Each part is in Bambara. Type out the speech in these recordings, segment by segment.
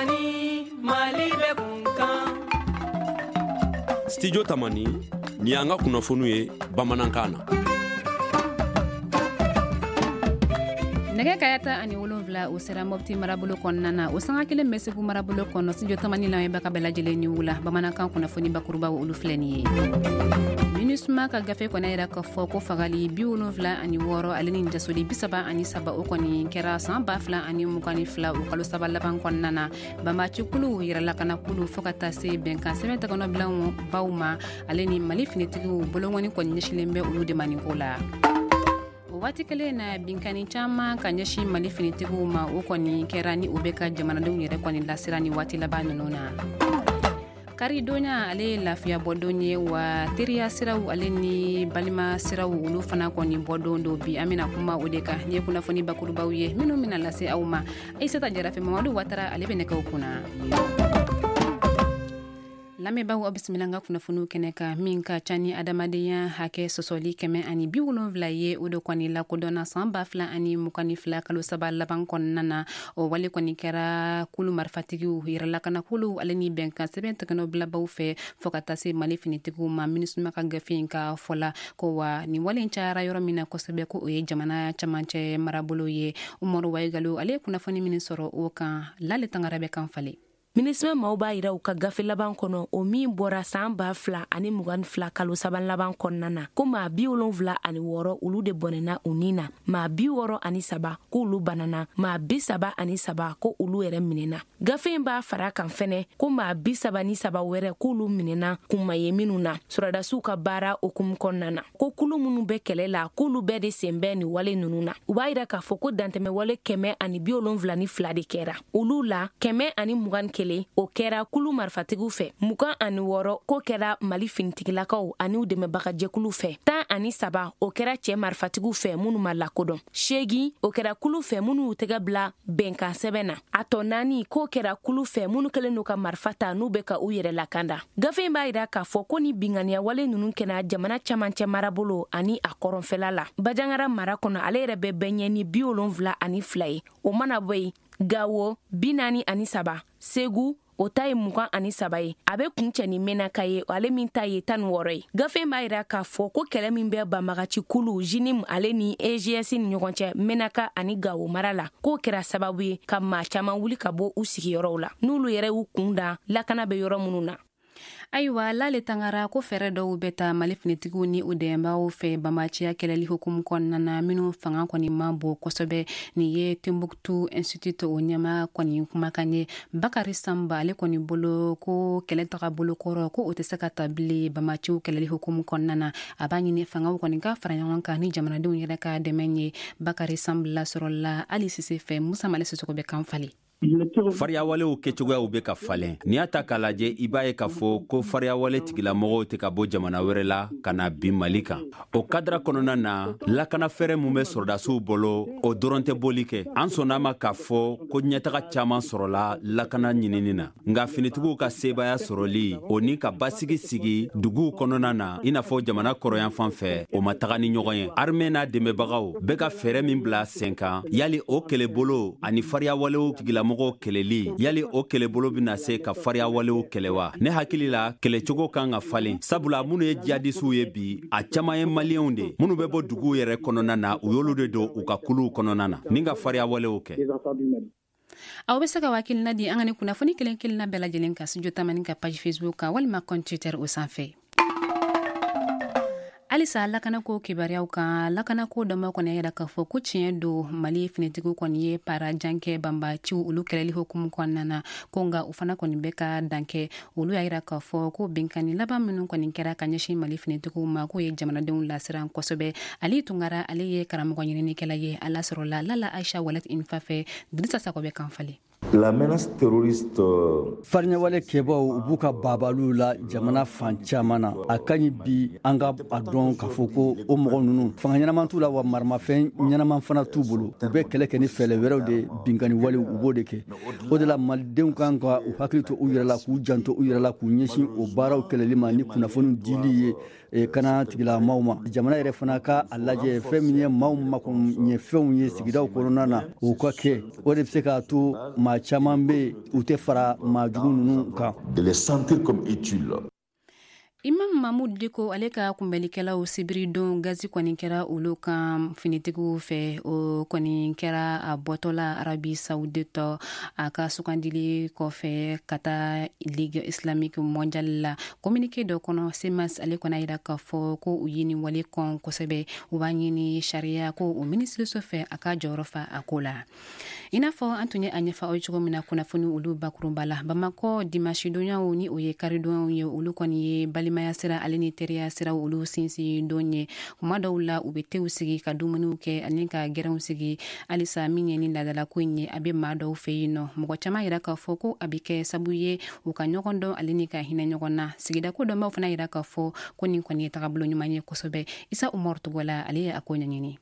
Tamani, Mali bɛ kun kan. Studio Tamani, nin y'an ka kunnafoniw ye bamanankan na. Nɛgɛ kanɲɛ 17, o sera Mɔpti marabolo kɔnɔna na, o sanga kelen bɛ Segu marabolo kɔnɔ. Studio Tamani lamɛnbaga bɛɛ lajɛlen ni wula. Bamanankan kunnafoni bakurubaw, olu filɛ nin ye. MINUSMA ka gafe kɔni yira k'a fɔ ko fagali 76 ale ni jasoli 33, o kɔni kɛra san 2022, o kalo 3 laban kɔnɔna na. Banbacikulu, yɛrɛlakanakulu, fo ka taa se bɛnkan sɛbɛn tɛgɛnɔbilaw baw ma, ale ni Mali finitigiw bolongɔni kɔni ɲɛsilen bɛ olu de ma nin ko la. O waati kelen na, binkani caman ka ɲɛsin Mali finitigiw ma, o kɔni kɛra ni o bɛ ka jamanadenw yɛrɛ kɔni lasira ni waati laban ninnu na. Karidonya, ale ye lafiya bɔdon ye wa, teriya siraw ale ni balima siraw, olu fana kɔni bɔdon don. Bi, an bɛna kuma o de kan. Ni ye kunnafoni bakurubaw ye minnu bɛna lase aw ma Aissata Jara fɛ. Mamadu Watara, ale bɛ nɛgɛw kunna. Lamɛnbaaw, aw bisimila an ka kunnafoniw kɛnɛ kan. Min ka ca ni adamadenya hakɛ sɔsɔli 170 ye, o de kɔni lakodɔnna san 2022 kalo 3 laban kɔnɔna na. O wale kɔni kɛra kulu marifatigiw, yɛrɛlakanakulu ale ni bɛnkan sɛbɛn tɛgɛnɔbilabaw fɛ, fo ka taa se Mali finitigiw ma. MINUSMA ka gafe in ka fɔla ko wa, nin wale cayara yɔrɔ min na kosɛbɛ, ko o ye jamana camancɛ marabolo ye. Umaru Waigalo, ale ye kunnafoni min sɔrɔ o kan, Lale Tangara bɛ kan falen. MINUSMA maaw b'a yira u ka gafe laban kɔnɔ, o min bɔra saan 2022 kalo 3 laban kɔnɔna na, ko maa 76, olu de bɔnɛna u ni na, maa 63, k'olu banana, maa 33, ko olu yɛrɛ minɛna. Gafe in b'a fara kan fɛnɛ ko maa 33 wɛrɛ, k'olu minɛna kunma ye minnu na sɔrɔdasiw ka baara hukumu kɔnɔna na, ko kulu minnu bɛ kɛlɛ la, k'olu bɛɛ de sen bɛ nin wale ninnu na. U b'a yira k'a fɔ ko dantɛmɛ wale 172 de kɛra. Olu la, 121, o kɛra kulu marifatigiw fɛ, 26, k'o kɛra Mali finitigilakaw ani u dɛmɛbagajɛkulu fɛ, 13, o kɛra cɛɛ marifatigiw fɛ minnu ma lakodɔn, 8, o kɛra kulu fɛ minnu y'u tɛgɛ bila bɛnkan sɛbɛn na, a tɔ 4, k'o kɛra kulu fɛ minnu kɛlen don ka marifa ta, n'u bɛ ka u yɛrɛ lakanda. Gafe in b'a yira k'a fɔ ko ni binganiya wale ninnu kɛra jamana camancɛ marabolo ani a kɔrɔnfɛla la. Bajangara mara kɔnɔ, ale yɛrɛ bɛ bɛɛ ɲɛ ni 72 ye. O mana bɔ yen, Gawo 43, Segu o ta ye 23 ye, a bɛ kuncɛ ni Menaka ye, ale min ta ye 16 ye. Gafe b'a yira k'a fɔ ko kɛlɛ min bɛ banbagaci kulu JNIM ale ni EGS ni ɲɔgɔn cɛ Menaka ani Gawo mara la, k'o kɛra sababu ye ka maa caman wuli ka bɔ u sigiyɔrɔw la, n'olu yɛrɛ y'u kun da lakana bɛ yɔrɔ minnu na. Ayiwa, Lale Tangara, ko fɛɛrɛ dɔw bɛ ta Mali finitigiw ni u dɛmɛbagaw fɛ banbaanciya kɛlɛli hukumu kɔnɔna na minnu fanga kɔni man bon kosɛbɛ. Nin ye Timbuktu Institute o ɲɛma kɔni kumakan ye. Bakari Samba, ale kɔni bolo ko kɛlɛ taga bolo kɔrɔ, ko o tɛ se ka ta bilen banbaanciw kɛlɛli hukumu kɔnɔna na. A b'a ɲini fangaw kɔni ka fara ɲɔgɔn kan ni jamanadenw yɛrɛ ka dɛmɛ ye. Bakari Samba lasɔrɔla Ali Sise fɛ. Musa Male Sisoko bɛ kan falen. Fariyawalew kɛcogoyaw bɛ ka falen. N'i y'a ta k'a lajɛ, i b'a ye k'a fɔ ko fariyawale tigilamɔgɔw tɛ ka bɔ jamana wɛrɛ la ka na bin Mali kan. O kadara kɔnɔna na, lakanafɛɛrɛ min bɛ sɔrɔdasiw bolo, o dɔrɔn tɛ bɔli kɛ. An sɔnna ma k'a fɔ ko ɲɛtaga caman sɔrɔla lakana ɲinini na, nka finitigiw ka sebaaya sɔrɔli, o ni ka basigi sigi duguw kɔnɔna na, i n'a fɔ jamana kɔrɔyanfan fɛ, o ma taga ni ɲɔgɔn ye. Armée n'a dɛmɛbagaw bɛ ka fɛɛrɛ min bila sen kan, yali o kɛlɛbolo ani fariyawalew tigilamɔgɔw kɛlɛli, yali o kɛlɛbolo bɛna se ka fariyawalew kɛlɛ wa? Ne hakili la, kɛlɛcogo kan ka falen, sabula minnu ye jihadisiw ye bi, a caman ye Maliyɛnw de, minnu bɛ bɔ duguw yɛrɛ kɔnɔna na. U y'olu de don u ka kuluw kɔnɔna na ni ka fariyawalew kɛ. Aw bɛ se ka hakilina di an ka ni kunnafoni kelen kelenna bɛɛ lajɛlen kan Studio Tamani ka page Facebook kan walima compte Twitter o sanfɛ. Halisa lakanako kibaruyaw kan, lakanako dɔnba kɔni yira k'a fɔ ko tiɲɛ don, Mali finitigiw kɔni ye para jan kɛ banbaciw olu kɛlɛli hukumu kɔnɔna na, ko nka u fana kɔni bɛ ka dan kɛ. Olu y'a yira k'a fɔ ko binkanni laban minnu kɔni kɛra ka ɲɛsin Mali finitigiw ma, k'o ye jamanadenw lasiran kosɛbɛ. Ali Tunkara, ale ye karamɔgɔ ɲininikɛla ye. A lasɔrɔla Lala Aisha Walet Infa fɛ. Dirisa Sakɔ bɛ kan falen. La menace terroriste. Fariɲawale kɛbaw, u b'u ka babaliw la jamana fan caman na. A ka ɲi bi an ka a dɔn k'a fɔ ko o mɔgɔ ninnu, fanga ɲɛnaman t'u la wa, maramafɛn ɲɛnaman fana t'u bolo. U bɛ kɛlɛ kɛ ni fɛɛrɛ wɛrɛw de, binkanni walew, u b'o de kɛ. O de la, Malidenw kan ka u hakili to u yɛrɛ la, k'u janto u yɛrɛ la, k'u ɲɛsin o baaraw kɛlɛli ma ni kunnafoni dili ye. kana tigilamaw ma. Jamana yɛrɛ fana ka a lajɛ fɛn min ye maaw makoɲɛfɛnw ye sigidaw kɔnɔna na, o ka kɛ. O de bɛ se k'a to maa caman bɛ yen, u tɛ fara maa jugu ninnu kan. De les sentir comme utiles. Imam Mahmoud Dicko, ale ka kunbɛlikɛlaw, sibiridon gazi kɔni kɛra olu kan finitigiw fɛ. O kɔni kɛra a bɔtɔla Arabie Saoudite, a ka sugandili kɔfɛ ka taa Ligue islamique mondiale la. Communiqué dɔ kɔnɔ, CMAS ale kɔni yira k'a fɔ ko u ye nin wale kɔn kosɛbɛ. U b'a ɲini sariya ko o minisiriso fɛ, a ka jɔyɔrɔ fa a ko la. I n'a fɔ an tun ye a ɲɛfɔ aw ye cogo min na kunnafoni olu bakurunba la, Bamakɔ dimanche-donyaw, ni o ye karidonyaw ye, olu kɔni ye balimaya sira ale ni teriya sira olu sinsin don ye. Kuma dɔw la, u bɛ tew sigi ka dumuniw kɛ ani ka gɛrɛnw sigi. Halisa, min ye ni laadalako in ye, a bɛ maa dɔw fɛ yen nɔ. Mɔgɔ caman yira k'a fɔ ko a bɛ kɛ sabu ye u ka ɲɔgɔn dɔn ale ni ka hinɛ ɲɔgɔn na. Sigida ko dɔnbaw fana yira k'a fɔ ko nin kɔni ye tagabolo ɲuman ye kosɛbɛ. Isa Umaru Togola, ale ye a ko ɲɛɲini.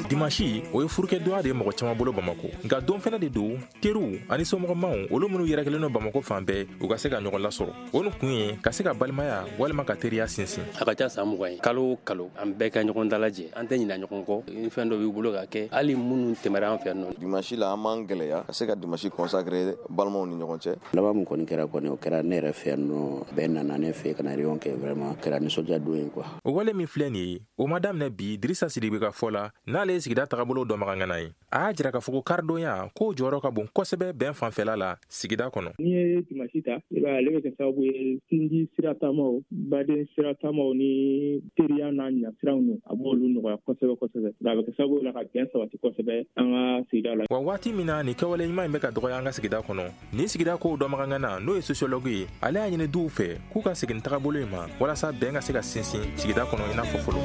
Dimanche, o ye furukɛdonya de ye mɔgɔ caman bolo Bamako. Nka don fɛnɛ de don, teriw ani somɔgɔmaw, olu minnu yɛrɛkɛlen don Bamako fan bɛɛ, u ka se ka ɲɔgɔn lasɔrɔ. O ni kun ye ka se ka balimaya walima ka teriya sinsin. A ka ca san 20 ye, kalo o kalo an bɛɛ ka ɲɔgɔn dalajɛ. An tɛ ɲina ɲɔgɔn kɔ. Ni fɛn dɔ b'i bolo ka kɛ, hali minnu tɛmɛra an fɛ nɔ. Dimanche la, an b'an gɛlɛya ka se ka dimanche consacrer balimaw ni ɲɔgɔn cɛ. Laban min kɔni kɛra kɔni, o kɛra ne yɛrɛ fɛ yan nɔ. Bɛɛ nana ne fɛ ka na réunion kɛ. Vraiment, kɛra nisɔndiya don ye quoi. O wale min filɛ nin ye, o ma daminɛ bi. Dirisa Sidibe ka fɔ la, n'ale ye sigida tagabolo dɔnbaga ye, a y'a jira k'a fɔ ko karidonya k'o jɔyɔrɔ ka bon kosɛbɛ bɛn fanfɛla la sigida kɔnɔ. N'i ye dimanche ta, i b'a ye, ale bɛ kɛ sababu ye sinji sira taamaw, baden sira taamaw ni teriya n'a ɲasiraw nu, a b'olu nɔgɔya kosɛbɛ kosɛbɛ. A bɛ kɛ sababu la ka bɛn sabati kosɛbɛ an ka sigida la. Wa waati min na nin kɛwale ɲuman in bɛ ka dɔgɔya an ka sigida kɔnɔ, nin sigida kow dɔnbaga, n'o ye sociologue ye, ale y'a ɲini duw fɛ k'u ka segin tagabolo in ma walasa bɛn ka se ka sinsin sigida kɔnɔ i n'a fɔ fɔlɔ.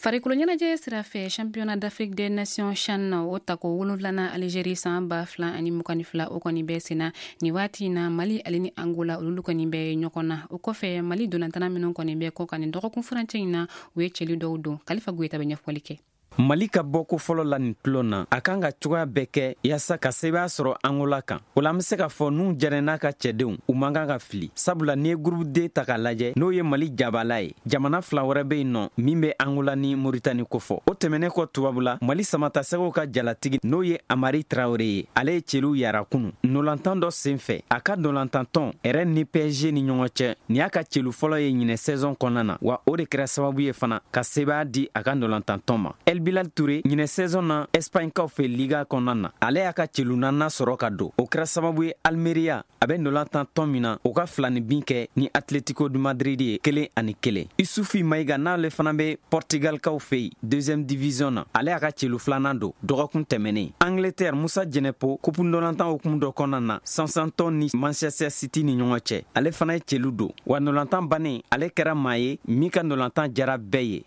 Farikolo ɲɛnajɛ sira fɛ, Championnat d'Afrique des Nations CHAN, o tako wolonfilanan, Algérie san 2022, o kɔni bɛ senna nin waati in na. Mali ale ni Angola, olu kɔni bɛ ɲɔgɔn na. O kɔfɛ, Mali dolantana minnu kɔni bɛ kɔ kan nin dɔgɔkun furancɛ in na, u ye cɛli dɔw don. Kalifa Goyita bɛ ɲɛfɔli kɛ. Mali ka bɔko fɔlɔ la nin tulon na, a kan ka cogoya bɛɛ kɛ yaasa ka sebaya sɔrɔ Angola kan. O la, an be se k'a fɔ n'u jɛnɛ n'a ka cɛdenw, u man kan ka fili, sabula n'i ye groupe D ta k'a lajɛ, n'o ye Mali jabala ye, jamana fila wɛrɛ be yen nɔ min be Angola ni Moritani kofɔ. O tɛmɛnen kɔ, tubabula, Mali samatasɛgɛw ka jalatigi, n'o ye Amari Tarawele ye, ale ye cɛliw yara kunu nolantan dɔ sen fɛ a ka nolantantɔn Rennes ni PSG ni ɲɔgɔn cɛ. Nin y'a ka celu fɔlɔ ye ɲinɛ saison kɔnɔna na, wa o de kɛra sababu ye fana ka sebaya di a ka nolantantɔn ma. El Bilal Touré, ɲinɛ saison na Espagne kaw fɛ Liga kɔnɔna na, ale y'a ka celu naaninan sɔrɔ ka don. O kɛra sababu ye Almeria, a bɛ ndolantan tɔn min na, o ka filani bin kɛ ni Atletico de Madrid ye 1-1. Isufi Mayiga, n'ale fana bɛ Portugalkaw fɛ yen deuxième division na, ale y'a ka celu filanan don dɔgɔkun tɛmɛnen. Angleterre, Musa Jɛnɛpo, coupe ndolantan hukumu dɔ kɔnɔna na Southampton ni Manchester City ni ɲɔgɔn cɛ, ale fana ye celu don. Wa ndolantan bannen, ale kɛra maa ye min ka ndolantan jara bɛɛ ye.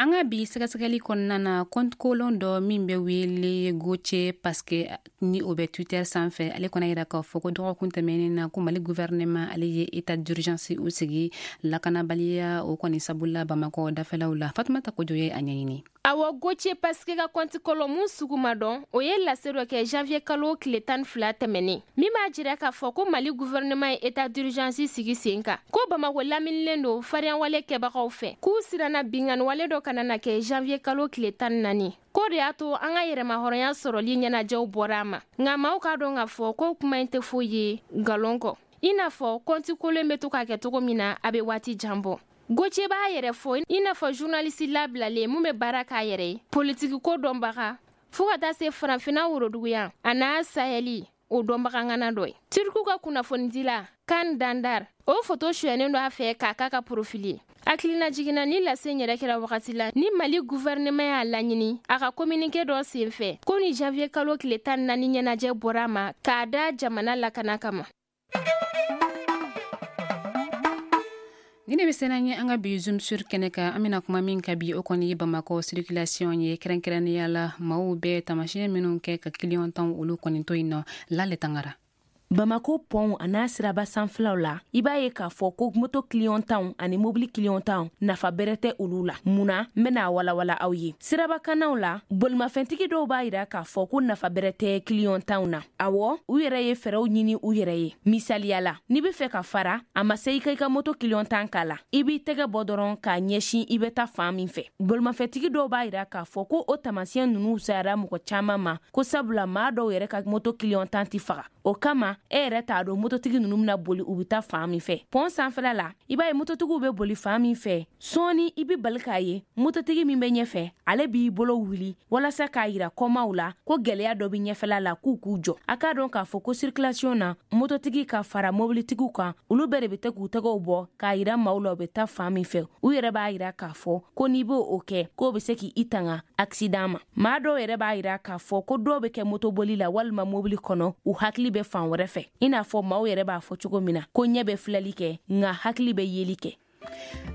An ka bi sɛgɛsɛgɛli kɔnɔna na, compte kolon dɔ min bɛ wele Goce Paske, ni o bɛ Twitter sanfɛ, ale kɔnɔ yira k'a fɔ ko dɔgɔkun tɛmɛnen na, ko Mali gouvernement ale ye état d'urgence o sigi lakanabaliya o kɔni sabula Bamakɔ dafɛlaw la. Fatumata Kojo ye a ɲɛɲini. Awɔ, Goce Paske ka compte kolon mun sugu ma dɔn, o ye lase dɔ kɛ janvier kalo tile 12 tɛmɛnen, min b'a jira k'a fɔ ko Mali gouvernement ye état d'urgence sigi sen kan, ko Bamako laminilen don fariyanwale kɛbagaw fɛ, k'u siranna binganiwale dɔ kana na kɛ janvier kalo tile 14, k'o de y'a to an ka yɛrɛmahɔrɔnya sɔrɔli ɲɛnajɛw bɔra a ma. Nka maaw k'a dɔn k'a fɔ ko kuma in tɛ foyi ye nkalon kɔ, i n'a fɔ compte kolon bɛ to k'a kɛ cogo min na, a bɛ waati jan bɔ. Goce b'a yɛrɛ fɔ i n'a fɔ journaliste labilalen mun bɛ baara k'a yɛrɛ ye, politiki ko dɔnbaga, fɔɔ ka taa se Farafinna woroduguyan a n'a Sahɛli o dɔnbaga ŋana dɔ ye. Tiriku ka kunnafonidila Kan Dandar, o foto suyɛnnen don a fɛ k'a k'a ka profil ye. Hakilina jiginna ni lase yɛrɛ kɛra wagati la ni Mali gouvernement y'a laɲini a ka communiqué dɔ sen fɛ ko ni janvier kalo tile 14 ɲɛnajɛ bɔra a ma k'a da jamana lakana kama. Ni ne bɛ sena ye an ka bi Zoom sur kɛnɛ kan, an bɛna kuma min ka bi, o kɔni ye Bamakɔ circulation ye, kɛrɛnkɛrɛnnenya la maaw bɛ tamasiyɛn minnu kɛ ka client tan olu kɔni to yen nɔ. Lale Tangara. Bamako pɔnw a n'a siraba sanfɛlaw la, i b'a ye k'a fɔ ko moto clignotantw ani mobili clignotantw nafa bɛrɛ tɛ olu la. Mun na? N bɛna walawala aw ye. Sirabakanaw la, bolimafɛntigi dɔw b'a yira k'a fɔ ko nafa bɛrɛ tɛ clignotantw na. Awɔ, u yɛrɛ ye fɛɛrɛw ɲini u yɛrɛ ye. Misaliya la, n'i bɛ fɛ ka fara, a ma se i ka i ka moto clignotant k'a la, i b'i tɛgɛ bɔ dɔrɔn k'a ɲɛsin i bɛ taa fan min fɛ. Bolimafɛntigi dɔw b'a yira k'a fɔ ko o taamasiyɛn ninnu fisayara mɔgɔ caman ma, ko sabula maa dɔw yɛrɛ ka moto clignotant tɛ faga. O kama e yɛrɛ t'a dɔn mototigi ninnu bɛna boli u bɛ taa fan min fɛ. Pɔn sanfɛla la, i b'a ye mototigiw bɛ boli fan min fɛ, sɔɔni i bɛ bali k'a ye mototigi min bɛ ɲɛfɛ, ale b'i bolo wuli walasa k'a yira kɔmaw la ko gɛlɛya dɔ bɛ ɲɛfɛla la, k'u k'u jɔ. A k'a dɔn k'a fɔ ko circulation na, mototigi ka fara mobilitigiw kan, olu bɛɛ de bɛ to k'u tɛgɛw bɔ k'a yira maaw la u bɛ taa fan min fɛ. U yɛrɛ b'a yira k'a fɔ ko n'i b'o kɛ, k'o bɛ se k'i tanga accident ma. Maa dɔw yɛrɛ b'a yira k'a fɔ ko dɔw bɛ kɛ motoboli la walima mobili kɔnɔ, u hakili bɛ fan wɛrɛ fɛ, i n'a fɔ maaw yɛrɛ b'a fɔ cogo min na ko ɲɛ bɛ filɛli kɛ nka hakili bɛ yeli kɛ.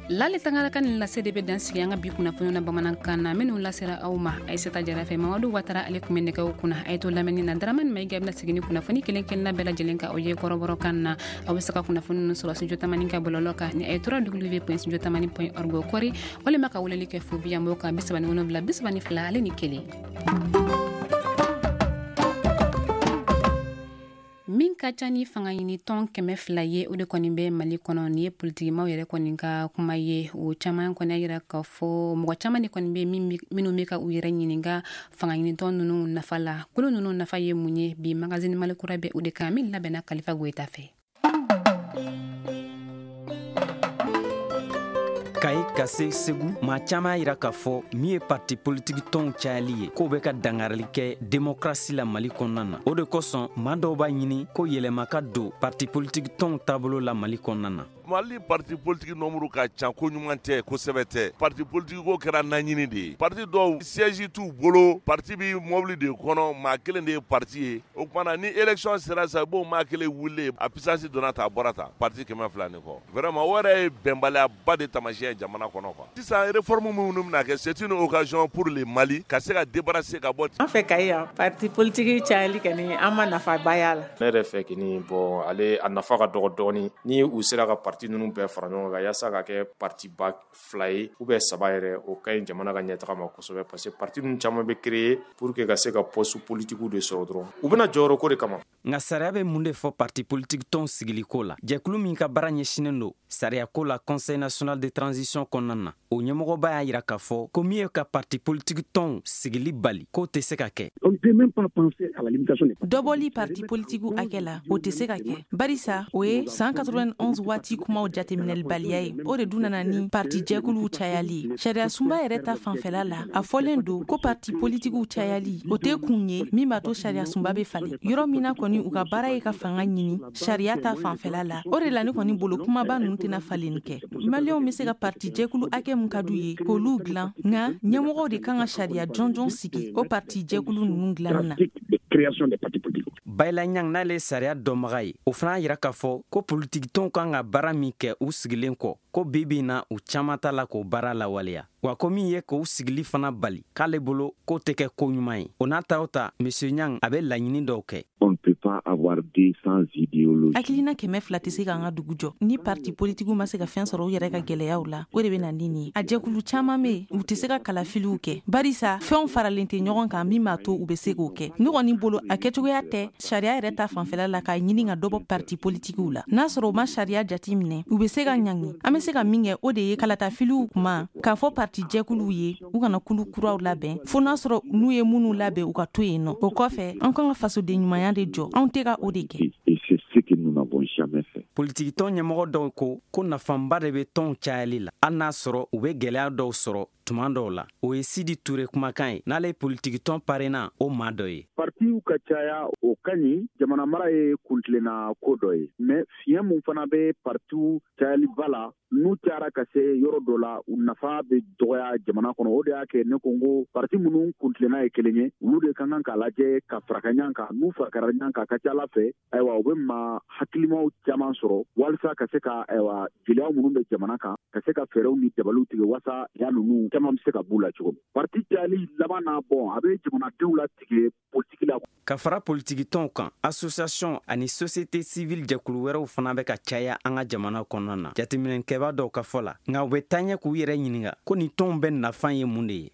Lali Tangara ka nin lase de bɛ dan sigi an ka bi kunnafoniw na bamanankan na, minnu lasera aw ma Aïssata Jara fɛ. Mamadu Watara ale tun bɛ nɛgɛw kunna. A ye to lamɛnni na. Dramane Maïga bɛna segin ni kunnafoni kelen kelenna bɛɛ lajɛlen kan aw ye kɔrɔbɔrɔkan na. Aw bɛ se ka kunnafoni ninnu sɔrɔ studio Tamani ka bɔlɔlɔ kan ni a ye www.studiotamani.org kɔri, walima ka weleli kɛ fo biyanbo kan 37 32 1. Min ka ca ni fanga ɲini tɔn 200 ye, o de kɔni bɛ Mali kɔnɔ. Nin ye politikimaw yɛrɛ kɔni ka kuma ye. O caman kɔni y'a yira k'a fɔ mɔgɔ caman de kɔni bɛ minnu bɛ ka u yɛrɛ ɲininka fanga ɲini tɔn ninnu nafa la. Kolo ninnu nafa ye mun ye? Bi magazine Mali kura bɛ o de kan, min labɛnna Kalifa Goyita fɛ. Kayi ka se Segu, maa caman y'a yira k'a fɔ min ye parti politiki tɔnw cayali ye, k'o bɛ ka dangarili kɛ demokrasi la Mali kɔnɔna na. O de kosɔn maa dɔw b'a ɲini ko yɛlɛma ka don parti politiki tɔnw taabolo la Mali kɔnɔna na. Mali parti politique nombre ka ca, ko ɲuman tɛ, kosɛbɛ tɛ. Parti politique ko kɛra naɲini de ye. Parti dɔw siège t'u bolo, parti bi mobili de kɔnɔ, maa kelen de ye parti ye. O tuma na ni élection sera sisan, i b'o maa kelen wuli, a puissance donna tan, a bɔra tan, parti 200 ni kɔ. Vraiment o yɛrɛ ye bɛnbaliyaba de taamasiyɛn ye jamana kɔnɔ quoi. Sisan réforme minnu bɛna kɛ, c'est une occasion pour le Mali ka se ka débarrasser ka bɔ. An fɛ Kayi yan, parti politique cayali kɔni, an ma nafaba y'a la. Ne yɛrɛ fɛ kɔni, bon, ale a nafa ka dɔgɔ dɔɔni ni u sera ka parti ninnu bɛɛ fara ɲɔgɔn kan yaasa ka kɛ parti ba 2 ye ou bien 3 yɛrɛ, o ka ɲi jamana ka ɲɛtaga ma kosɛbɛ, parce que parti ninnu caman bɛ créer pour que ka se ka poste politique de sɔrɔ dɔrɔn, u bɛna jɔyɔrɔ ko de kama. Nka sariya bɛ mun de fɔ parti politique tɔnw sigiliko la? Jɛkulu min ka baara ɲɛsinnen don sariyako la Conseil national de transition kɔnɔna na, o ɲɛmɔgɔba y'a yira k'a fɔ ko min ye ka parti politique tɔnw sigili bali, k'o tɛ se ka kɛ. Dɔbɔli parti politique hakɛ la, o tɛ se ka kɛ, barisa o ye san 91 waati kumaw jateminɛlibaliya ye. O de dun nana ni parti jɛkuluw cayali ye. Sariya sunba yɛrɛ ta fanfɛla la, a fɔlen don ko parti politikiw cayali, o tɛ kun ye min b'a to sariya sunba bɛ falen. Yɔrɔ min na kɔni u ka baara ye ka fanga ɲini sariya ta fanfɛla la, o de la ne kɔni bolo kumaba ninnu tɛna falenni kɛ. Maliyɛnw bɛ se ka parti jɛkulu hakɛ min ka d'u ye k'olu dilan, nka ɲɛmɔgɔw de kan ka sariya jɔnjɔn sigi o parti jɛkulu ninnu dilanni na. Bayila Ɲang n'ale ye sariya dɔnbaga ye, o fana y'a yira k'a fɔ ko politikitɔnw kan ka baara min kɛ u sigilen kɔ, ko bi bi in na u caman t'a la k'o baara lawaleya. Wa ko min ye k'u sigili fana bali, k'ale bolo k'o tɛ kɛ ko ɲuman ye. O n'a ta o ta, Monsieur Ɲang a bɛ laɲini dɔw kɛ. On ne peut pas avoir 200 idéologies. Hakilina 200 tɛ se k'an ka dugu jɔ. Ni parti politikiw ma se ka fɛn sɔrɔ u yɛrɛ ka gɛlɛyaw la, o de bɛ na ni nin ye. A jɛkulu caman bɛ yen, u tɛ se ka kalafiliw kɛ, barisa fɛnw faralen tɛ ɲɔgɔn kan min b'a to u bɛ se k'o kɛ. Ne kɔni bolo, a kɛcogoya tɛ sariya yɛrɛ ta fanfɛla la k'a ɲini ka dɔ bɔ parti politikiw la. N'a sɔrɔ u ma sariya jate minɛ, u bɛ se ka ɲangi. An bɛ se ka min kɛ, o de ye kalatafiliw kuma k'a fɔ parti jɛkuluw ye u kana kulu kuraw labɛn, fo n'a sɔrɔ n'u ye minnu labɛn u ka to yen nɔ. O kɔfɛ, an kan ka fasoden ɲumanya de jɔ, anw tɛ ka o de kɛ. Politikitɔn ɲɛmɔgɔ dɔw ko nafaba de bɛ tɔnw cayali la, hali n'a sɔrɔ u bɛ gɛlɛya dɔw sɔrɔ tuma dɔw la. O ye Sidi Ture kumakan ye, n'ale ye politikitɔn parena o maa dɔ ye. Partiw ka caya, o ka ɲi, jamana mara ye kuntilenna ko dɔ ye, mais fiɲɛ mun fana bɛ partiw cayaliba la, n'u cayara ka se yɔrɔ dɔ la, u nafa bɛ dɔgɔya jamana kɔnɔ. O de y'a kɛ ne ko n ko parti minnu kuntilenna ye kelen ye, olu de ka kan k'a lajɛ ka faraka ɲɔgɔn kan. N'u farakara ɲɔgɔn kan, ka ca ala fɛ, ayiwa, u bɛ maa hakilimaw caman sɔrɔ walasa ka se ka, ayiwa, gɛlɛya minnu bɛ jamana kan, ka se ka fɛɛrɛw ni dabaliw tigɛ walasa ya ninnu caman bɛ se ka b'u la cogo min. Parti cayali laban na, bɔn, a bɛ jamanadenw latigɛ politiki la. Ka fara politikitɔnw kan, association ani société civile jɛkulu wɛrɛw fana bɛ ka caya an ka jamana kɔnɔna na, jateminɛkɛbaa dɔw ka fɔ la. Nka u bɛ taaɲɛ k'u yɛrɛ ɲininka ko nin tɔnw bɛɛ nafan ye mun de ye.